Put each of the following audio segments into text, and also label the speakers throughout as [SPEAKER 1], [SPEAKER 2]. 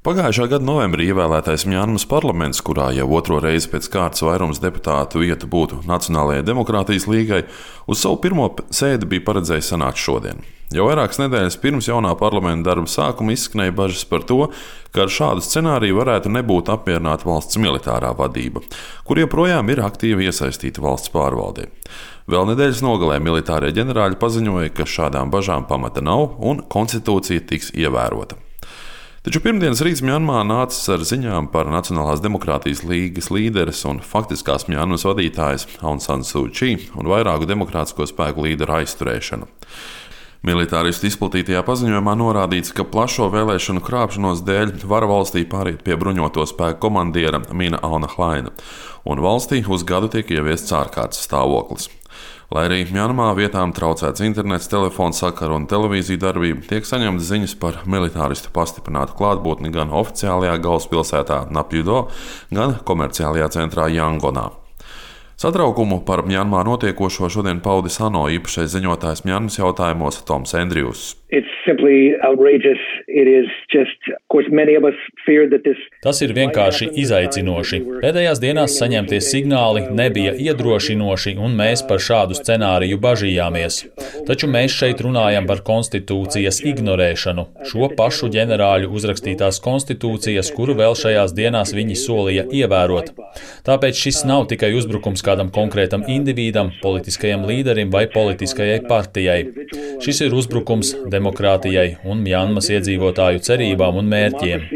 [SPEAKER 1] Pagājušā gada novembrī ievēlētais Mjanmas parlaments, kurā jau otro reizi pēc kārtas vairums deputātu vietu būtu Nacionālajai demokrātijas līgai, uz savu pirmo sēdi bija paredzējis sanākt šodien. Jau vairākas nedēļas pirms jaunā parlamenta darba sākuma izskanēja bažas par to, ka ar šādu scenāriju varētu nebūt apmierināta valsts militārā vadība, kur joprojām ir aktīvi iesaistīta valsts pārvaldē. Vēl nedēļas nogalē militārie ģenerāļi paziņoja, ka šādām bažām pamata nav un konstitūcija tiks ievērota. Taču pirmdienas rīts Mjanmā nācis ar ziņām par Nacionālās demokrātijas līgas līderes un faktiskās Mjanmas vadītājas Aung San Suu Kyi un vairāku demokrātisko spēku līderu aizturēšanu. Militāristu izplatītajā paziņojumā norādīts, ka plašo vēlēšanu krāpšanos dēļ vara valstī pāriet pie bruņoto spēku komandiera Mina Auna Hlaina, un valstī uz gadu tiek ieviests ārkārtas stāvoklis. Lai arī Mjanmā vietām traucēts internets, telefons sakaru un televīziju darbība, tiek saņemtas ziņas par militāristu pastiprinātu klātbūtni gan oficiālajā galvaspilsētā Napjudo, gan komerciālajā centrā Jangonā. Satraukumu par Mjanmā notiekošo šodien paudis ANO īpašais ziņotājs Mjanmas jautājumos Toms Endrijus.
[SPEAKER 2] Tas ir vienkārši izaicinoši. Pēdējās dienās saņemtie signāli nebija iedrošinoši, un mēs par šādu scenāriju bažījāmies. Taču mēs šeit runājam par konstitūcijas ignorēšanu, šo pašu ģenerāļu uzrakstītās konstitūcijas, kuru vēl šajās dienās viņi solīja ievērot. Tāpēc šis nav tikai uzbrukums kādam konkrētam individam, politiskajam līderim vai politiskajai partijai. Šis ir uzbrukums demokrātijai un Mjanmas iedzīvotāju cerībām un mērķiem.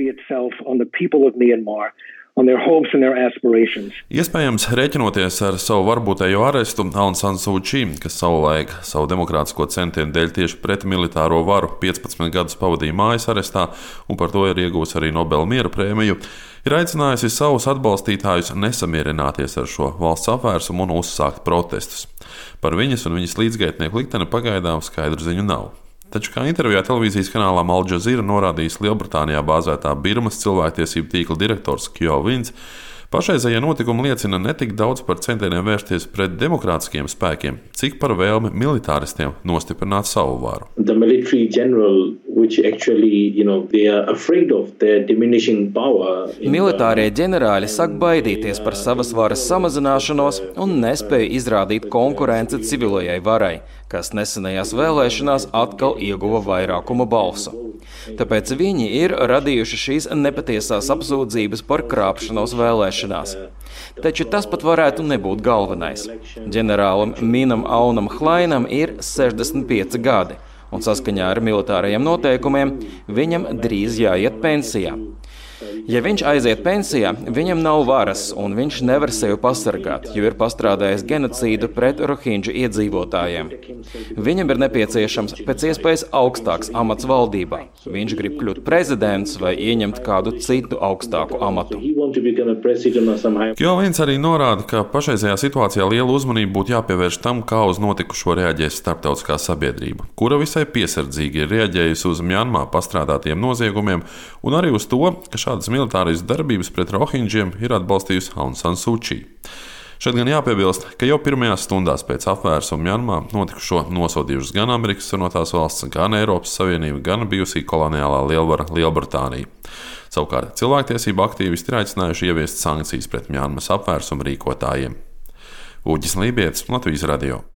[SPEAKER 1] Iespējams, rēķinoties ar savu varbūtējo arestu, Aung San Suu Kyi, kas savulaik savu demokrātisko centienu dēļ tieši pret militāro varu 15 gadus pavadīja mājas arestā un par to ir iegūs arī Nobela miera prēmiju, ir aicinājusi savus atbalstītājus nesamierināties ar šo valsts apvērsumu un uzsākt protestus. Par viņas un viņas līdzgaitnieku likteni pagaidām skaidru ziņu nav. Taču, kā intervijā televīzijas kanālā Al Jazeera norādījis Lielbritānijā bāzētā Birmas cilvēktiesību tīkla direktors Kyo Vins, pašreizējie notikumi liecina ne tik daudz par centieniem vērsties pret demokrātiskiem spēkiem, cik par vēlmi militāristiem nostiprināt savu varu.
[SPEAKER 3] Militārie ģenerāļi sāk baidīties par savas varas samazināšanos un nespēja izrādīt konkurenci civilajai varai, kas nesenajās vēlēšanās atkal ieguva vairākuma balsu. Tāpēc viņi ir radījuši šīs nepatiesās apsūdzības par krāpšanos vēlēšanās. Taču tas pat varētu nebūt galvenais. Ģenerālim Minam Aunam Hlainam ir 65 gadi, un saskaņā ar militārajiem noteikumiem viņam drīz jāiet pensijā. Ja viņš aiziet pensijā, viņam nav varas, un viņš nevar sevi pasargāt, jo ir pastrādājis genocīdu pret rohinģu iedzīvotājiem. Viņam ir nepieciešams pēc iespējas augstāks amats valdībā. Viņš grib kļūt prezidents vai ieņemt kādu citu augstāku amatu.
[SPEAKER 1] Kyo Vins arī norāda, ka pašreizajā situācijā liela uzmanība būtu jāpievērš tam, kā uz notikušo reaģēs starptautiskā sabiedrība, kura visai piesardzīgi ir reaģējusi uz Mjanmā pastrādātiem noziegumiem un arī uz to, ka šādas militāras darbības pret rohinģiem ir atbalstījusi Aung San Suu Kyi. Šeit gan jāpiebilst, ka jau pirmajās stundās pēc apvērsuma Mjanmā notikušo nosodījušas gan Amerikas Savienotās valsts, gan Eiropas Savienība, gan bijusī koloniālā lielvara Lielbritānija. Savukārt cilvēktiesību aktīvisti ir aicinājuši ieviest sankcijas pret Mjanmas apvērsuma rīkotājiem. Uģis Lībietis, Latvijas radio.